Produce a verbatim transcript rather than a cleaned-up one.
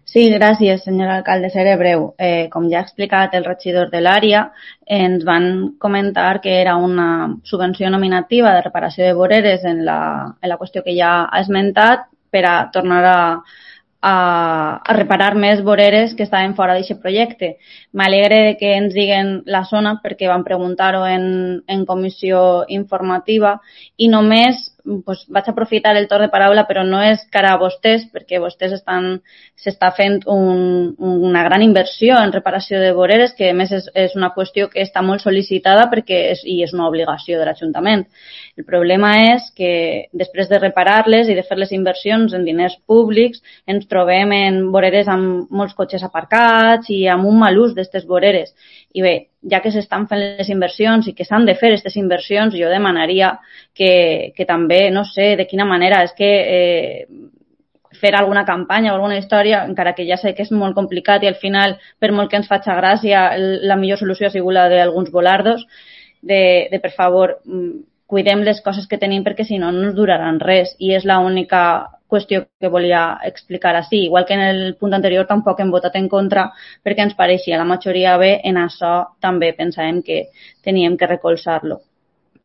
Sí, gràcies, senyor alcalde. Seré breu. Eh, com ja ha explicat el regidor de l'àrea, ens van comentar que era una subvenció nominativa de reparació de voreres en la, en la qüestió que ja ha esmentat per a tornar a, a, a reparar més voreres que estaven fora d'aquest projecte. M'alegre que ens diguen la zona perquè vam preguntar-ho en, en comissió informativa i només pues, vaig aprofitar el torn de paraula, però no és cara a vostès, perquè vostès estan s'està fent un, una gran inversió en reparació de voreres, que a més és, és una qüestió que està molt sol·licitada perquè és, i és una obligació de l'Ajuntament. El problema és que després de reparar-les i de fer les inversions en diners públics ens trobem en voreres amb molts cotxes aparcats i amb un mal ús d'aquestes voreres. I bé, ja que s'estan fent les inversions i que s'han de fer aquestes inversions, jo demanaria que, que també, no sé de quina manera, és que eh, fer alguna campanya o alguna història, encara que ja sé que és molt complicat i al final, per molt que ens faci gràcia, la millor solució ha sigut la d'alguns volardos, de, de per favor, cuidem les coses que tenim perquè si no no ens duraran res i és l'única qüestió que volia explicar així. Igual que en el punt anterior tampoc hem votat en contra perquè ens pareixia la majoria bé, en això també pensàvem que teníem que recolzar-lo.